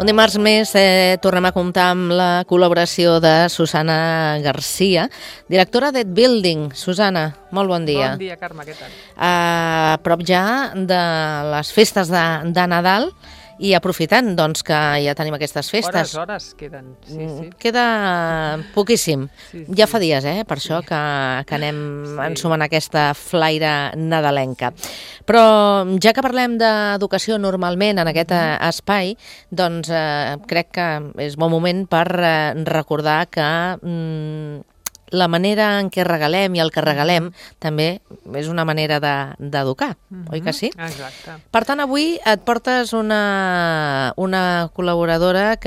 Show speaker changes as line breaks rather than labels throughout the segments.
Un dimarts més tornem a comptar amb la col·laboració de Susana Garcia, directora d'Ed Building. Susana, molt bon dia.
Bon dia, Carme, què tal?
A prop ja de les festes de Nadal i aprofitant doncs, que ja tenim aquestes festes.
Hores queden, sí.
Queda poquíssim.
Sí.
Ja fa dies, per això que anem ensumant aquesta flaire nadalenca. Però ja que parlem d'educació normalment en aquest espai, doncs crec que és bon moment per recordar que la manera en què regalem i el que regalem també és una manera d'educar, oi que sí?
Exacte.
Per tant, avui et portes una col·laboradora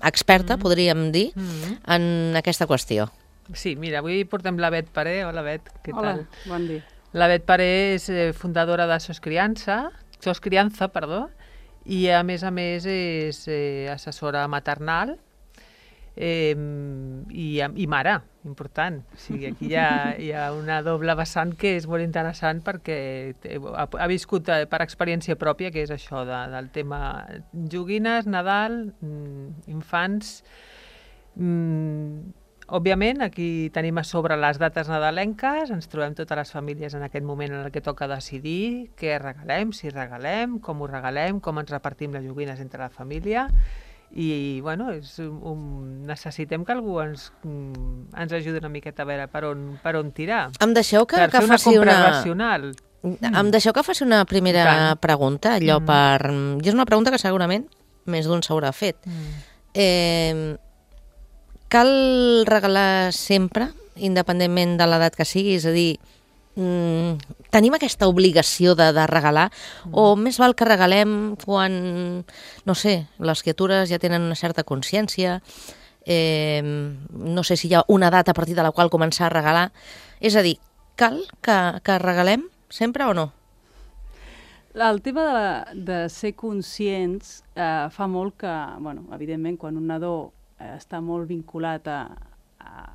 experta, podríem dir, en aquesta qüestió.
Sí, mira, avui portem la Bet Paré. Hola, Bet, què tal?
Hola, bon dia.
La Bet Paré és fundadora de Sos Criança, i a més és assessora maternal i mare, important. O sigui, aquí hi ha una doble vessant que és molt interessant perquè ha viscut per experiència pròpia, que és això del tema joguines, Nadal, infants. Òbviament, aquí tenim a sobre les dates nadalenques, ens trobem totes les famílies en aquest moment en què toca decidir què regalem, si regalem, com ho regalem, com ens repartim les joguines entre la família. I, bueno, necessitem que algú ens ajudi una miqueta a veure per on tirar.
Em deixeu que
fer una
faci
compra racional.
Em deixeu que faci una primera pregunta, allò I és una pregunta que segurament més d'un s'haurà fet. Cal regalar sempre, independentment de l'edat que sigui? És a dir, tenim aquesta obligació de regalar o més val que regalem quan, no sé, les criatures ja tenen una certa consciència, no sé si hi ha una data a partir de la qual començar a regalar. És a dir, cal que regalem sempre o no?
El tema de ser conscients fa molt que, bueno, evidentment, quan un nadó està molt vinculat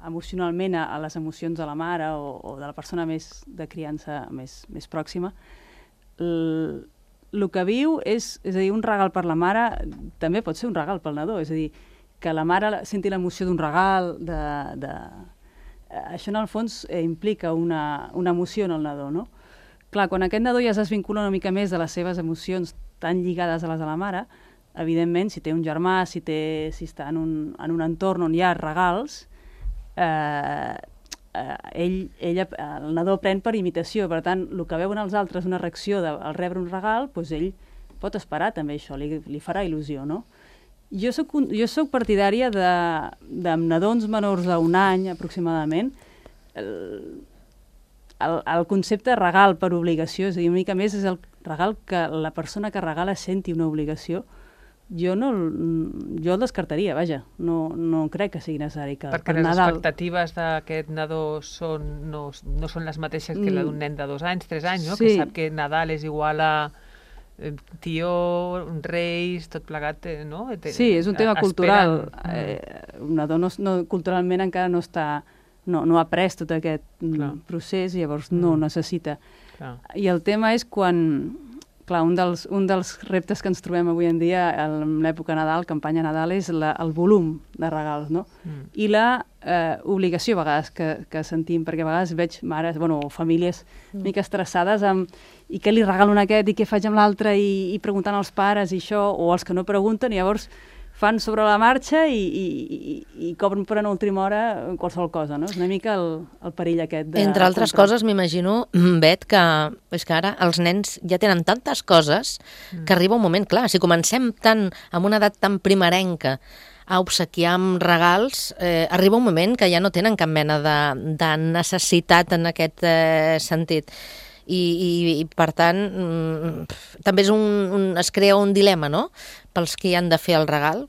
emocionalment a les emocions de la mare o de la persona de criança més pròxima, el que viu és a dir, un regal per la mare també pot ser un regal pel nadó, és a dir, que la mare senti l'emoció d'un regal, això en el fons implica una emoció en el nadó, no? Clar, quan aquest nadó ja es desvincula una mica més de les seves emocions tan lligades a les de la mare, evidentment, si té un germà, si està en un entorn on hi ha regals, el nadó pren per imitació. Per tant, el que veuen els altres, una reacció al rebre un regal, doncs ell pot esperar també això, li farà il·lusió, no? Jo soc partidària de nadons menors d'un any, aproximadament, el concepte regal per obligació, és a dir, una mica més és el regal que la persona que regala senti una obligació. Jo el descartaria, vaja, no crec que sigui necessari que
perquè les expectatives d'aquest nadó no són les mateixes que la d'un nen de 2 anys, 3 anys, no? Sí. Que sap que Nadal és igual a tió, reis, tot plegat, no?
Sí, és un tema cultural. Un nadó culturalment encara no ha après tot aquest procés, llavors no necessita. Clar. I el tema és quan... Clar, un dels reptes que ens trobem avui en dia en l'època Nadal, campanya Nadal, és el volum de regals, no? I la obligació, a vegades, que sentim, perquè a vegades veig mares, o famílies una mica estressades amb i què li regalo a aquest i què faig amb l'altre i preguntant als pares i això, o els que no pregunten, i llavors fan sobre la marxa i cobren per a última hora qualsevol cosa, no? És una mica el perill aquest de...
Entre altres coses, m'imagino, Bet, que és que ara els nens ja tenen tantes coses que arriba un moment, clar, si comencem amb una edat tan primerenca a obsequiar amb regals, arriba un moment que ja no tenen cap mena de necessitat en aquest sentit. I per tant, també es crea un dilema, no?, pels que hi han de fer el regal.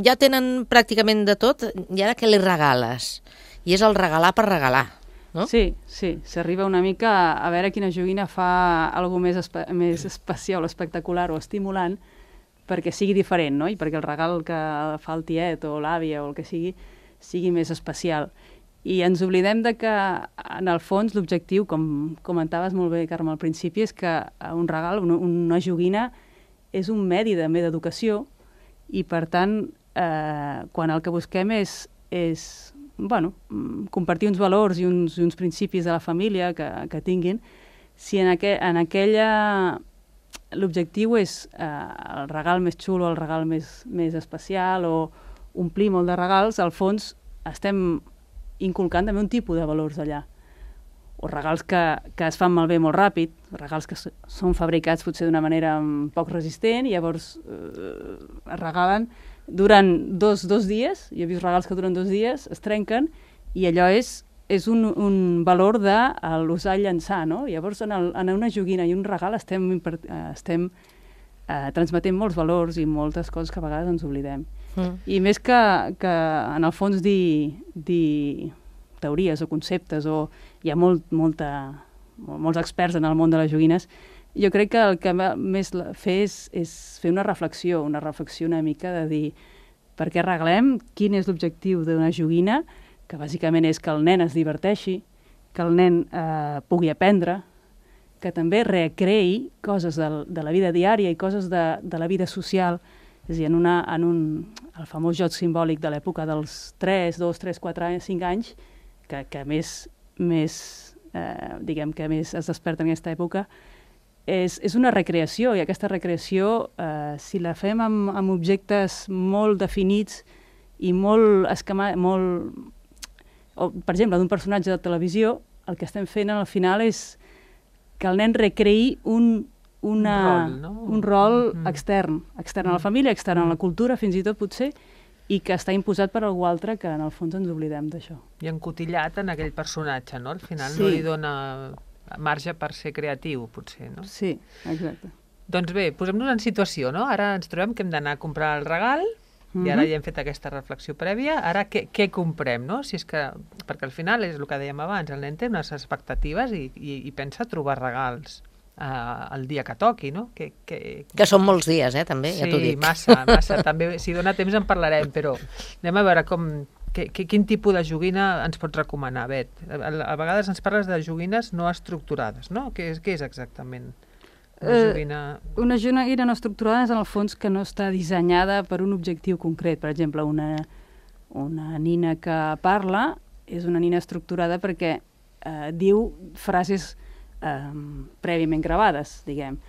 Ja tenen pràcticament de tot, i ara què li regales? I és el regalar per regalar, no?
Sí, s'arriba una mica a veure quina joguina fa alguna cosa més especial o espectacular o estimulant perquè sigui diferent, no? I perquè el regal que fa el tiet o l'àvia o el que sigui més especial. I ens oblidem de que, en el fons, l'objectiu, com comentaves molt bé, Carme, al principi, és que un regal, una joguina, és un medi també d'educació i per tant, quan el que busquem és compartir uns valors i uns principis de la família que tinguin, si en aquella l'objectiu és el regal més xulo, el regal més especial o omplir molt de regals, al fons estem inculcant també un tipus de valors allà. O regals que es fan malbé molt ràpid, regals que són fabricats potser d'una manera poc resistent i llavors es regalen, duren dos dies, jo he vist regals que duren 2 dies, es trenquen i allò és un valor de l'usar i llançar, no? Llavors en una joguina i un regal estem transmetent molts valors i moltes coses que a vegades ens oblidem. I més que en el fons dir teories o conceptes, o hi ha molts experts en el món de les joguines, jo crec que el que més fer és fer una reflexió una mica de dir per què regalem, quin és l'objectiu d'una joguina, que bàsicament és que el nen es diverteixi, que el nen pugui aprendre, que també recreï coses de la vida diària i coses de la vida social. És a dir, el famós joc simbòlic de l'època dels 3, 2, 3, 4 anys, 5 anys, que més es desperta en aquesta època, és una recreació, i aquesta recreació, si la fem amb objectes molt definits i molt per exemple, d'un personatge de televisió, el que estem fent al final és que el nen recreï un rol extern a la família, extern a la cultura, fins i tot potser, i que està imposat per algú altre, que en el fons ens oblidem d'això.
I encotillat en aquell personatge, no? Al final no li dona marge per ser creatiu, potser, no?
Sí, exacte.
Doncs bé, posem-nos en situació, no? Ara ens trobem que hem d'anar a comprar el regal, i ara ja hem fet aquesta reflexió prèvia, ara què comprem, no? Si és que, perquè al final és el que dèiem abans, el nen té unes expectatives i pensa trobar regals el dia que toqui, no?
Que són molts dies, també, ja t'ho dic.
Sí, massa. També, si dona temps en parlarem, però anem a veure quin tipus de joguina ens pots recomanar, Bet. A vegades ens parles de joguines no estructurades, no? Què és exactament?
Una joguina no estructurada és en el fons que no està dissenyada per un objectiu concret. Per exemple, una nina que parla és una nina estructurada perquè diu frases prèviament gravades, diguem.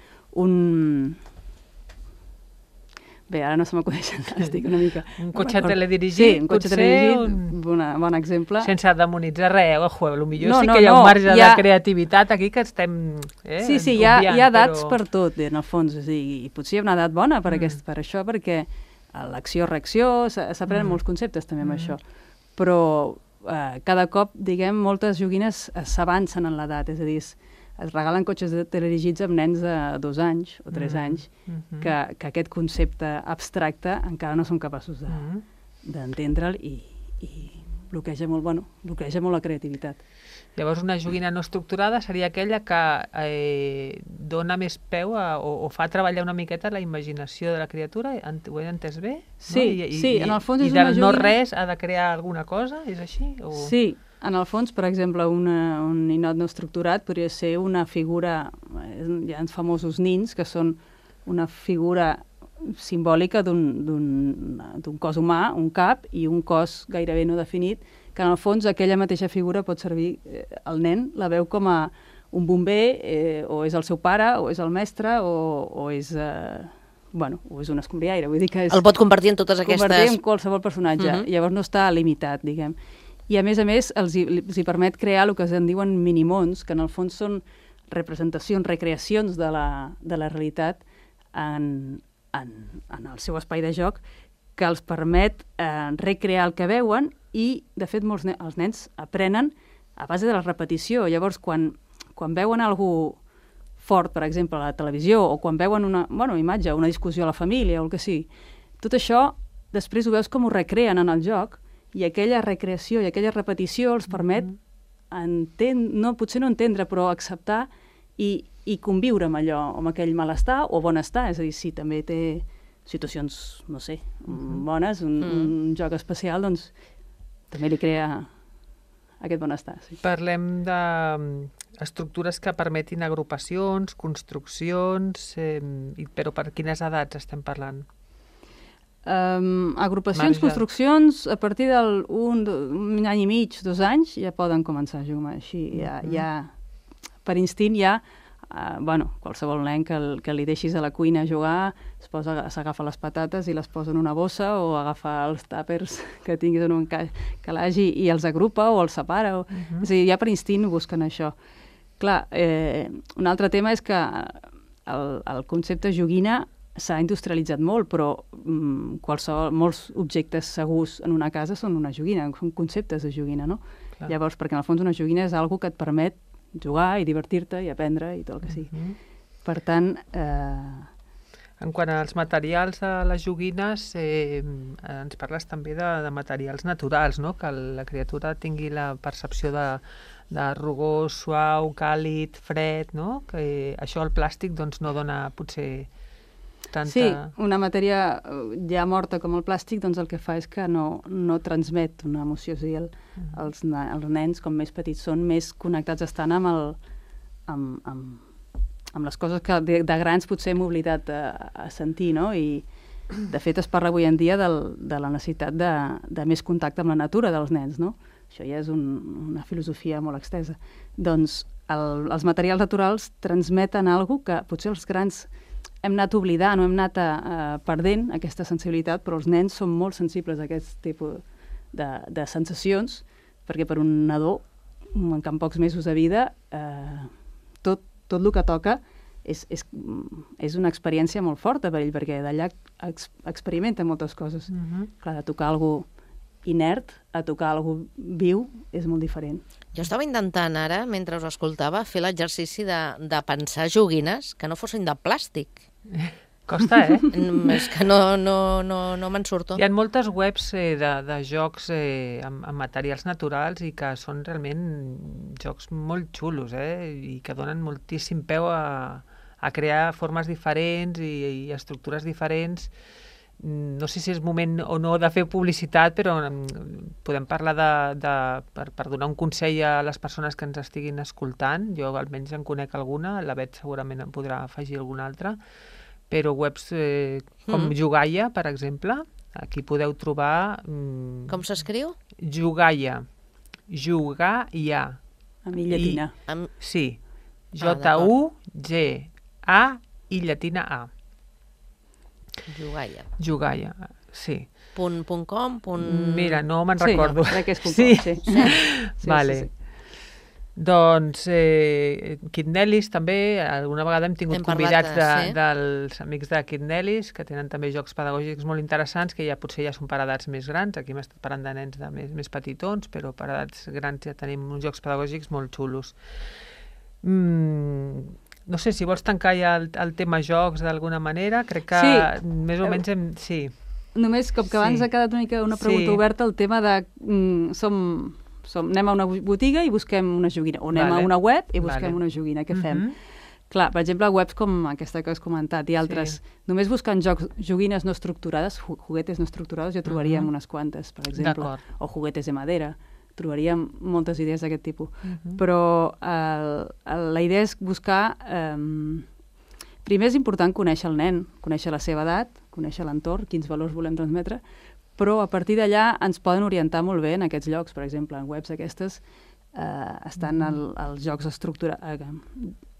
Bé, ara no se m'acudeixen, estic una mica...
Un cotxe teledirigit,
sí, un cotxe teledirigit, bon exemple.
Sense demonitzar res, potser sí que hi ha un marge de creativitat aquí que estem
Sí, hi ha edats per tot, en el fons, i potser hi ha una edat bona per això, perquè l'acció-reacció, s'aprenen molts conceptes també amb això, però cada cop, diguem, moltes joguines s'avancen en l'edat, és a dir, es regalen cotxes teledirigits amb nens de 2 anys o 3 anys que aquest concepte abstracte encara no són capaços d'entendre'l i bloqueja molt la creativitat.
Llavors una joguina no estructurada seria aquella que dona més peu o fa treballar una miqueta la imaginació de la criatura, ho he entès bé?
Sí, en el fons és
una joguina... I del no res ha de crear alguna cosa, és així?
Sí, en el fons, per exemple, un ninot no estructurat podria ser una figura, hi ha uns famosos nins que són una figura simbòlica d'un cos humà, un cap, i un cos gairebé no definit, que en el fons aquella mateixa figura pot servir, el nen la veu com a un bomber, o és el seu pare, o és el mestre, o és... o és un escombriaire, vull dir que és...
El pot convertir en totes aquestes...
Convertir en qualsevol personatge, llavors no està limitat, diguem. I a més els hi permet crear el que en diuen minimons, que en el fons són representacions, recreacions de la realitat en el seu espai de joc, que els permet recrear el que veuen i, de fet, els nens aprenen a base de la repetició. Llavors, quan veuen algú fort, per exemple, a la televisió, o quan veuen una imatge, una discussió a la família, o el que sigui, tot això després ho veus com ho recreen en el joc, i aquella recreació i aquella repetició els permet potser no entendre, però acceptar i conviure amb allò, amb aquell malestar o bonestar. És a dir, si també té situacions, no sé, bones, un joc especial, doncs també li crea aquest benestar. Sí.
Parlem d'estructures que permetin agrupacions, construccions, però per quines edats estem parlant?
Agrupacions, construccions, a partir d'un any i mig, 2 anys, ja poden començar a jugar així. Per instint qualsevol nen que li deixis a la cuina a jugar s'agafa les patates i les posa en una bossa o agafa els tàpers que tinguis en un calaix i els agrupa o els separa. És a dir, ja per instint busquen això. Clar, un altre tema és que el concepte joguina s'ha industrialitzat molt, però molts objectes segurs en una casa són una joguina, són conceptes de joguina, no? Clar. Llavors, perquè en el fons una joguina és algo que et permet jugar i divertir-te i aprendre i tot el que sigui. Per tant...
En quant als materials de les joguines, ens parles també de materials naturals, no? Que la criatura tingui la percepció de rugós, suau, càlid, fred, no? Que això el plàstic doncs, no dona potser tanta...
Sí, una matèria ja morta com el plàstic doncs el que fa és que no transmet una emoció. És a dir, els nens, com més petits són, més connectats estan amb les coses que de grans potser hem oblidat a sentir, no? I de fet es parla avui en dia de la necessitat de més contacte amb la natura dels nens, no? Això ja és una filosofia molt extensa. Doncs els materials naturals transmeten alguna cosa que potser els grans hem anat oblidant o hem anat perdent aquesta sensibilitat, però els nens són molt sensibles a aquest tipus de sensacions, perquè per un nadó, en pocs mesos de vida, tot el que toca és una experiència molt forta per ell, perquè d'allà experimenta moltes coses. Clar, de tocar alguna cosa inert a tocar alguna cosa viu és molt diferent.
Jo estava intentant ara, mentre us escoltava, fer l'exercici de pensar joguines que no fossin de plàstic.
Costa,
És que no me'n surto.
Hi ha moltes webs de jocs amb materials naturals i que són realment jocs molt xulos, i que donen moltíssim peu a crear formes diferents i estructures diferents. No sé si és moment o no de fer publicitat, però podem parlar per donar un consell a les persones que ens estiguin escoltant. Jo almenys en conec alguna, la Bet segurament en podrà afegir alguna altra, però webs com Jugaia, per exemple, aquí podeu trobar...
Com s'escriu?
Jugaia. Jugaia.
Amb i llatina.
Sí. J-U-G-A i llatina A. Jugaia, sí.
.com?
Mira, no me'n recordo.
Crec que és .com, sí.
Vale. Doncs Kidnelis també, alguna vegada hem tingut convidats dels amics de Kidnelis, que tenen també jocs pedagògics molt interessants, que potser ja són per edats més grans. Aquí hem estat parlant de nens més petitons, però per edats grans ja tenim uns jocs pedagògics molt xulos. No sé, si vols tancar ja el tema jocs d'alguna manera, crec que més o menys sí.
Només, com que abans ha quedat una pregunta oberta, el tema de anem a una botiga i busquem una joguina, o anem a una web i busquem una joguina, què fem? Clar, per exemple, webs com aquesta que has comentat i altres, només buscant joguines no estructurades, juguetes no estructurades, jo trobaríem unes quantes, per exemple, o juguetes de madera. Trobaríem moltes idees d'aquest tipus. Però la idea és buscar... Primer és important conèixer el nen, conèixer la seva edat, conèixer l'entorn, quins valors volem transmetre, però a partir d'allà ens poden orientar molt bé en aquests llocs. Per exemple, en webs aquestes estan els jocs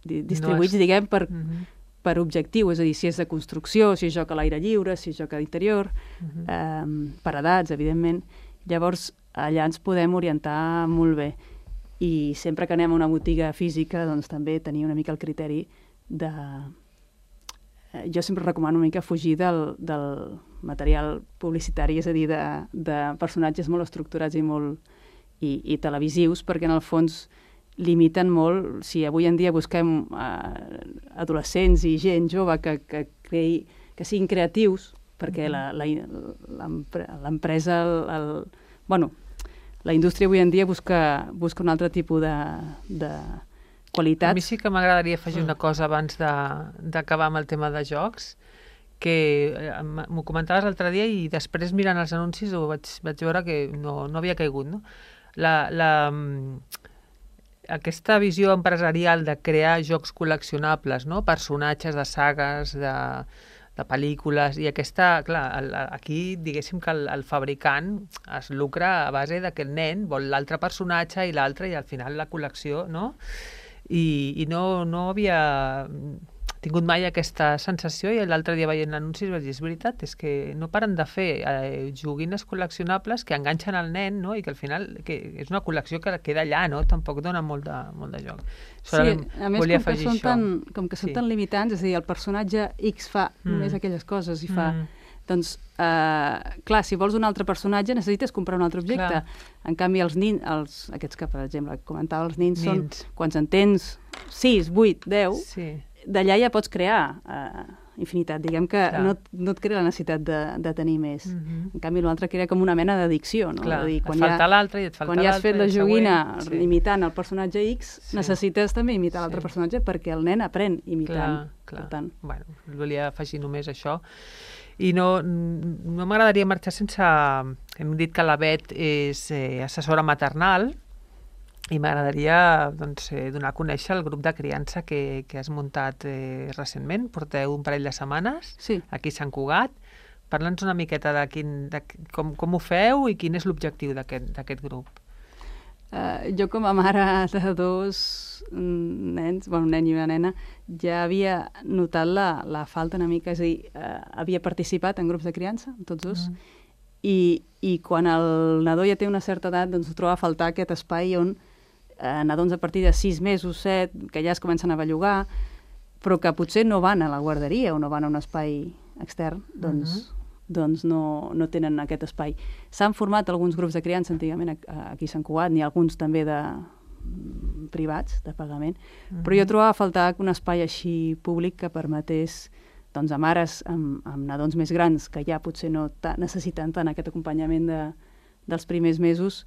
distribuïts, diguem, per objectiu, és a dir, si és de construcció, si és joc a l'aire lliure, si és joc a l'interior, per edats, evidentment. Llavors, allà ens podem orientar molt bé. I sempre que anem a una botiga física, doncs també tenir una mica el criteri de... Jo sempre recomano una mica fugir del material publicitari, és a dir, de personatges molt estructurats i televisius, perquè en el fons limiten molt. Si avui en dia busquem adolescents i gent jove que siguin creatius, perquè l'empresa, la indústria avui en dia busca un altre tipus de qualitat.
A mi sí que m'agradaria afegir una cosa abans d'acabar amb el tema de jocs, que m'ho comentaves l'altre dia i després mirant els anuncis vaig veure que no havia caigut, no? Aquesta visió empresarial de crear jocs col·leccionables, no? Personatges de sagues, pel·lícules, i aquesta, clar, aquí diguéssim que el fabricant es lucra a base que el nen vol l'altre personatge i l'altre, i al final la col·lecció, no? I no havia tingut mai aquesta sensació, i l'altre dia veient l'anuncis vaig dir, és veritat, és que no paren de fer joguines col·leccionables que enganxen el nen, no? I que al final és una col·lecció que queda allà, no? Tampoc dona molt de joc.
Sí, a més, com que són tan limitants, és a dir, el personatge X fa només aquelles coses i fa... Doncs, clar, si vols un altre personatge necessites comprar un altre objecte. En canvi, els nins, aquests que, per exemple, comentava, els nins són, quan en tens 6, 8, 10, d'allà ja pots crear infinitat. Diguem que no et crea la necessitat de tenir més. En canvi, l'altre crea com una mena d'addicció. No?
Et falta l'altre i et falta l'altre.
Quan ja has fet la joguina imitant el personatge X, necessites també imitar l'altre personatge perquè el nen aprèn imitant.
Clar. Bueno, volia afegir només això. I no m'agradaria marxar sense... Hem dit que la Bet és assessora maternal, i m'agradaria donar a conèixer el grup de criança que has muntat recentment. Porteu un parell de setmanes aquí a Sant Cugat. Parla'ns una miqueta de com ho feu i quin és l'objectiu d'aquest grup.
Jo, com a mare de dos nens, un nen i una nena, ja havia notat la falta una mica, és a dir, havia participat en grups de criança, tots dos, i quan el nadó ja té una certa edat, doncs troba a faltar aquest espai on nadons a partir de 6 mesos, 7, que ja es comencen a bellugar, però que potser no van a la guarderia o no van a un espai extern, doncs no tenen aquest espai. S'han format alguns grups de criança antigament aquí a Sant Cugat, n'hi ha alguns també de privats, de pagament, però jo trobava a faltar un espai així públic que permetés a mares amb nadons més grans, que ja potser no necessiten tant aquest acompanyament dels primers mesos,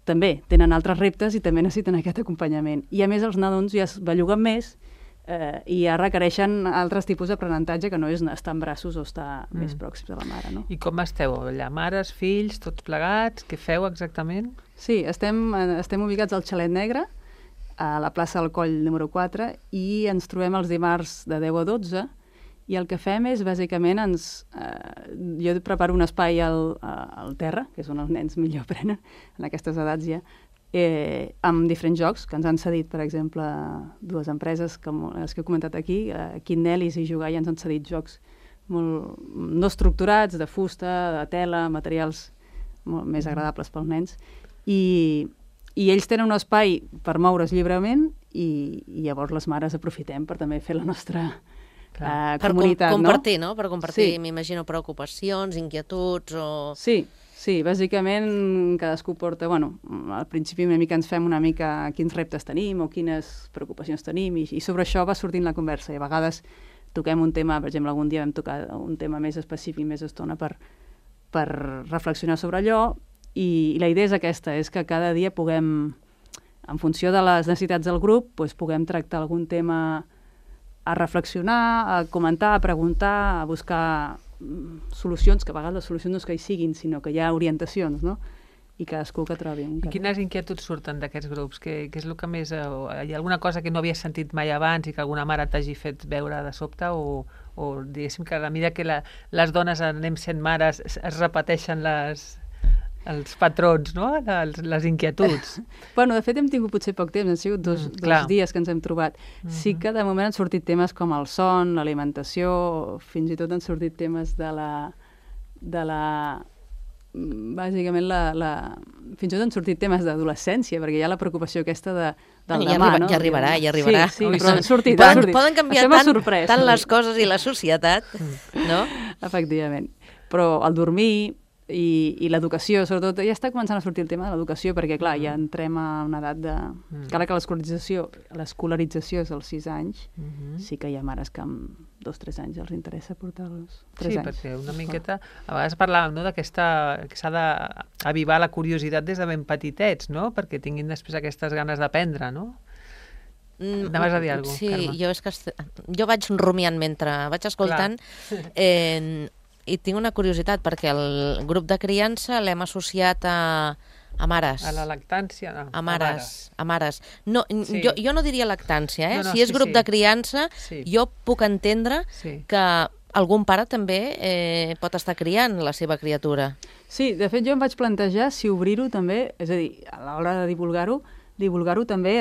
també tenen altres reptes i també necessiten aquest acompanyament. I a més els nadons ja es belluguen més i ja requereixen altres tipus d'aprenentatge que no és estar en braços o estar més pròxims a la mare. No?
I com esteu allà? Mares, fills, tots plegats? Què feu exactament?
Sí, estem ubicats al Xalet Negre, a la plaça del Coll número 4, i ens trobem els dimarts de 10 a 12, i el que fem és, bàsicament, jo preparo un espai al terra, que és on els nens millor aprenen, en aquestes edats ja, amb diferents jocs que ens han cedit, per exemple, dues empreses, com les que he comentat aquí, Quinnelis i Jugar, ja ens han cedit jocs molt no estructurats, de fusta, de tela, materials molt més agradables pels nens, i ells tenen un espai per moure's lliurement, i llavors les mares aprofitem per també fer la nostra comunitat,
per compartir, no? Per compartir, m'imagino, preocupacions, inquietuds o...
Sí, bàsicament cadascú porta... Al principi una mica ens fem una mica quins reptes tenim o quines preocupacions tenim, i sobre això va sortint la conversa, i a vegades toquem un tema, per exemple, algun dia vam tocar un tema més específic, més estona, per reflexionar sobre allò, i la idea és aquesta, és que cada dia puguem, en funció de les necessitats del grup, puguem tractar algun tema a reflexionar, a comentar, a preguntar, a buscar solucions, que a vegades les solucions no és que hi siguin, sinó que hi ha orientacions, no? I cadascú que trobi.
I quines inquietuds surten d'aquests grups? Què és el que més... Hi ha alguna cosa que no havies sentit mai abans i que alguna mare t'hagi fet veure de sobte, o diguéssim que a la mida que les dones anem sent mares es repeteixen els patrons, no? Les inquietuds.
De fet hem tingut potser poc temps, han sigut dos dies que ens hem trobat. Sí que de moment han sortit temes com el son, l'alimentació, fins i tot han sortit temes bàsicament fins i tot han sortit temes d'adolescència, perquè hi ha la preocupació aquesta del demà, no?
Ja arribarà.
Sí, però han sortit.
Poden canviar tant les coses i la societat, no?
Efectivament. Però el dormir i l'educació, sobretot, ja està començant a sortir el tema de l'educació, perquè, clar, ja entrem a una edat de... Encara que l'escolarització és als 6 anys, sí que hi ha mares que amb 2-3 anys els interessa portar-los 3 anys.
Sí, perquè una miqueta... A vegades parlàvem, no?, que s'ha d'avivar la curiositat des de ben petitets, no?, perquè tinguin després aquestes ganes d'aprendre, no? Anaves a dir alguna cosa, Carme?
Sí, jo vaig rumiant mentre vaig escoltant... I tinc una curiositat, perquè el grup de criança l'hem associat a mares.
A la lactància? No,
a mares. No, jo no diria lactància, Si és grup de criança, jo puc entendre que algun pare també pot estar criant la seva criatura.
Sí, de fet jo em vaig plantejar si obrir-ho també, és a dir, a l'hora de divulgar-ho també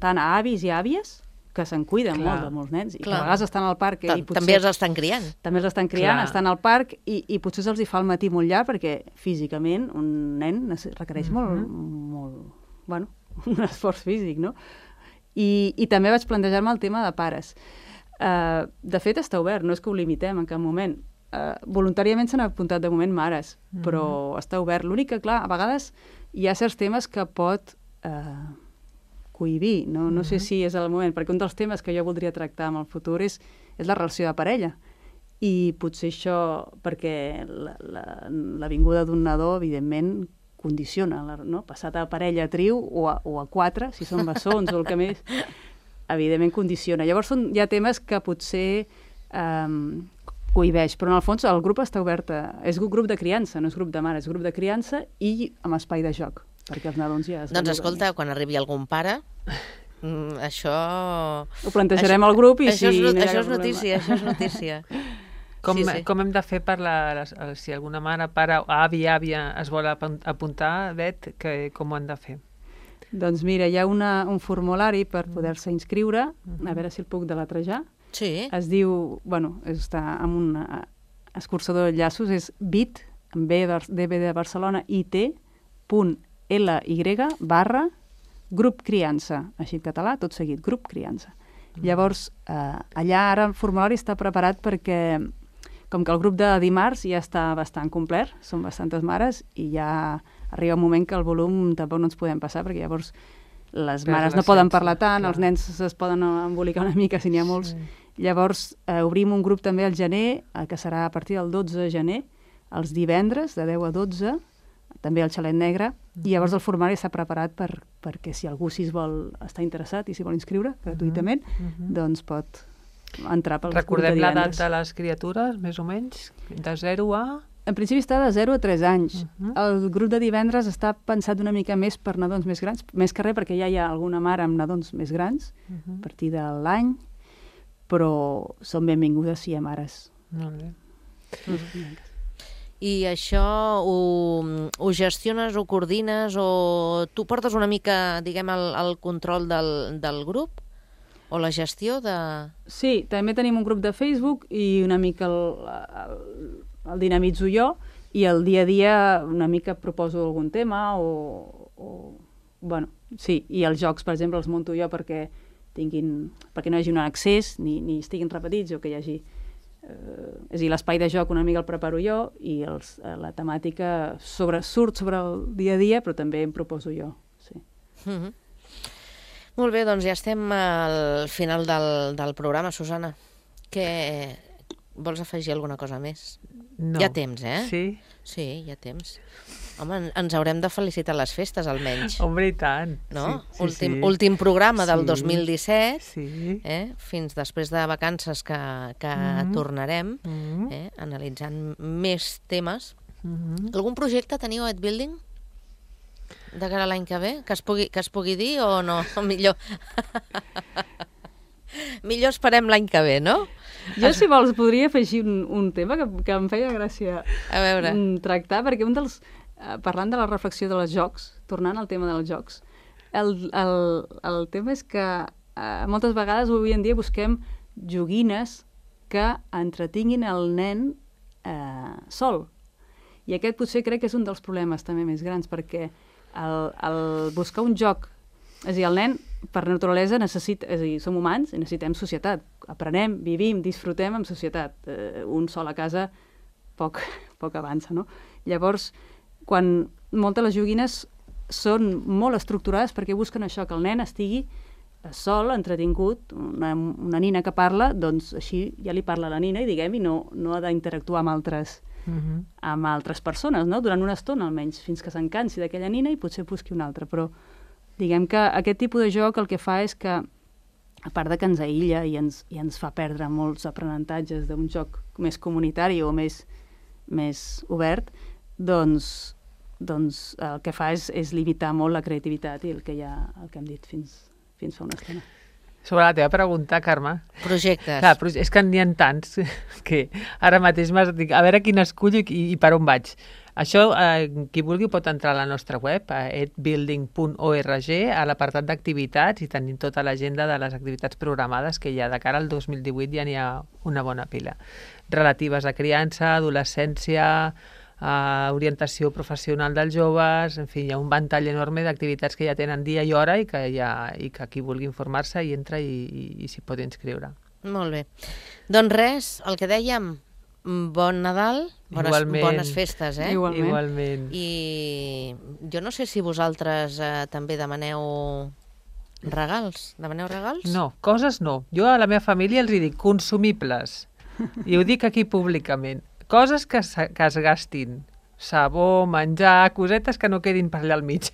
tant a avis i àvies, que se'n cuiden molt de molts nens, i que a vegades estan al parc...
També els estan criant.
També els estan criant, estan al parc, i potser se'ls hi fa el matí molt llarg, perquè físicament un nen requereix molt, un esforç físic, no? I també vaig plantejar-me el tema de pares. De fet, està obert, no és que ho limitem en cap moment. Voluntàriament s'han apuntat de moment mares, però està obert. L'únic que, clar, a vegades hi ha certs temes que pot cohibir, no sé si és el moment, perquè un dels temes que jo voldria tractar en el futur és la relació de parella. I potser això, perquè la vinguda d'un nadó, evidentment, condiciona, no? Passat a parella a trio o a quatre, si són bessons o el que més, evidentment condiciona. Llavors hi ha temes que potser cohibeix, però en el fons el grup està obert, és un grup de criança, no és grup de mare, és grup de criança i amb espai de joc, perquè els nadons ja...
Doncs escolta, quan arribi algun pare, això...
Ho plantejarem al grup i
això és notícia, això és notícia.
Com hem de fer si alguna mare, pare, avi, àvia es vol apuntar, Bet, com ho han de fer?
Doncs mira, hi ha un formulari per poder-se inscriure, a veure si el puc deletrejar.
Sí.
Es diu, està amb un escurçador de llaços, és bit, amb B de Barcelona, it.ly/grup criança, així en català, tot seguit, grup criança. Llavors, allà ara el formulari està preparat perquè, com que el grup de dimarts ja està bastant complet, són bastantes mares, i ja arriba un moment que el volum tampoc no ens podem passar, perquè llavors les mares no poden parlar tant, els nens es poden embolicar una mica si n'hi ha molts. Llavors, obrim un grup també al gener, que serà a partir del 12 de gener, els divendres, de 10 a 12, també al Xalet Negre, i llavors el formulari està preparat perquè si algú s'hi vol estar interessat i s'hi vol inscriure gratuïtament, doncs pot entrar pel grup de divendres.
Recordem l'edat de les criatures, més o menys, de 0 a...
En principi està de 0 a 3 anys. El grup de divendres està pensat una mica més per nadons més grans, més que res perquè ja hi ha alguna mare amb nadons més grans, a partir de l'any, però són benvingudes si hi ha mares.
Molt bé.
I això ho gestiones, ho coordines, o tu portes una mica, diguem, el control del grup? O la gestió de...
Sí, també tenim un grup de Facebook i una mica el dinamitzo jo, i el dia a dia una mica proposo algun tema sí, i els jocs, per exemple, els munto jo perquè no hi hagi un accés ni estiguin repetits, o que hi hagi és a dir, l'espai de joc una mica el preparo jo, i la temàtica surt sobre el dia a dia, però també em proposo jo, sí.
Molt bé, doncs ja estem al final del programa, Susana. Vols afegir alguna cosa més?
No.
Hi ha temps, eh?
Sí?
Sí, hi ha temps. Home, ens haurem de felicitar les festes, almenys.
Home, i tant.
No? Últim programa del 2017, fins després de vacances que tornarem, analitzant més temes. Algun projecte teniu a Edbuilding? De cara a l'any que ve? Que es pugui dir o no? Millor esperem l'any que ve, no?
Jo, si vols, podria afegir un tema que em feia gràcia tractar, perquè parlant de la reflexió dels jocs, tornant al tema dels jocs, el tema és que moltes vegades avui en dia busquem joguines que entretinguin el nen sol. I aquest potser crec que és un dels problemes també més grans, perquè el buscar un joc, és a dir, el nen per naturalesa necessita, és a dir, som humans i necessitem societat, aprenem, vivim, disfrutem en societat, un sol a casa poc avança, no? Llavors, quan moltes de les joguines són molt estructurades perquè busquen això, que el nen estigui sol, entretingut, una nina que parla, doncs així ja li parla a la nina i diguem, i no ha d'interactuar amb altres persones, no? Durant una estona almenys, fins que s'encansi d'aquella nina i potser busqui una altra, però diguem que aquest tipus de joc el que fa és que, a part de que ens aïlla i ens fa perdre molts aprenentatges d'un joc més comunitari o més obert, doncs el que fa és limitar molt la creativitat i el que hem dit fins fa una estona.
Sobre la teva pregunta, Carme.
Projectes.
Clar, és que n'hi ha tants que ara mateix m'has dit, a veure quin escullo i per on vaig. Això, qui vulgui pot entrar a la nostra web, a edbuilding.org, a l'apartat d'activitats, i tenim tota l'agenda de les activitats programades que ja de cara al 2018 ja n'hi ha una bona pila. Relatives a criança, adolescència, orientació professional dels joves, en fi, hi ha un ventall enorme d'activitats que ja tenen dia i hora i que qui vulgui informar-se hi entra i s'hi pot inscriure.
Molt bé. Doncs res, el que dèiem, bon Nadal, bones festes,
Igualment.
I jo no sé si vosaltres també demaneu regals. Demaneu regals?
No, coses no. Jo a la meva família els dic consumibles. I ho dic aquí públicament. Coses que es gastin. Sabó, menjar, cosetes que no quedin per allà al mig.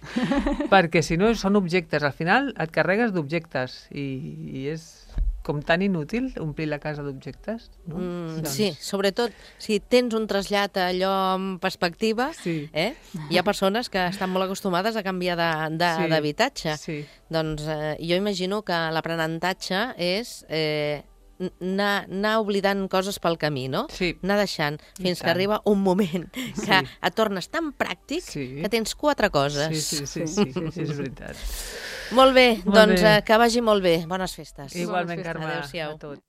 Perquè si no són objectes. Al final et carregues d'objectes i és com tan inútil omplir la casa d'objectes. No?
Sí, sobretot si tens un trasllat allò en perspectiva, hi ha persones que estan molt acostumades a canviar d'habitatge.
Sí.
Doncs jo imagino que l'aprenentatge és anar oblidant coses pel camí, no?
Sí.
Anar deixant fins que arriba un moment que et tornes tan pràctic que tens 4 coses.
Sí, és veritat.
Molt bé, doncs que vagi molt bé. Bones festes.
Igualment, Carme.
Adéu-siau.
A tots.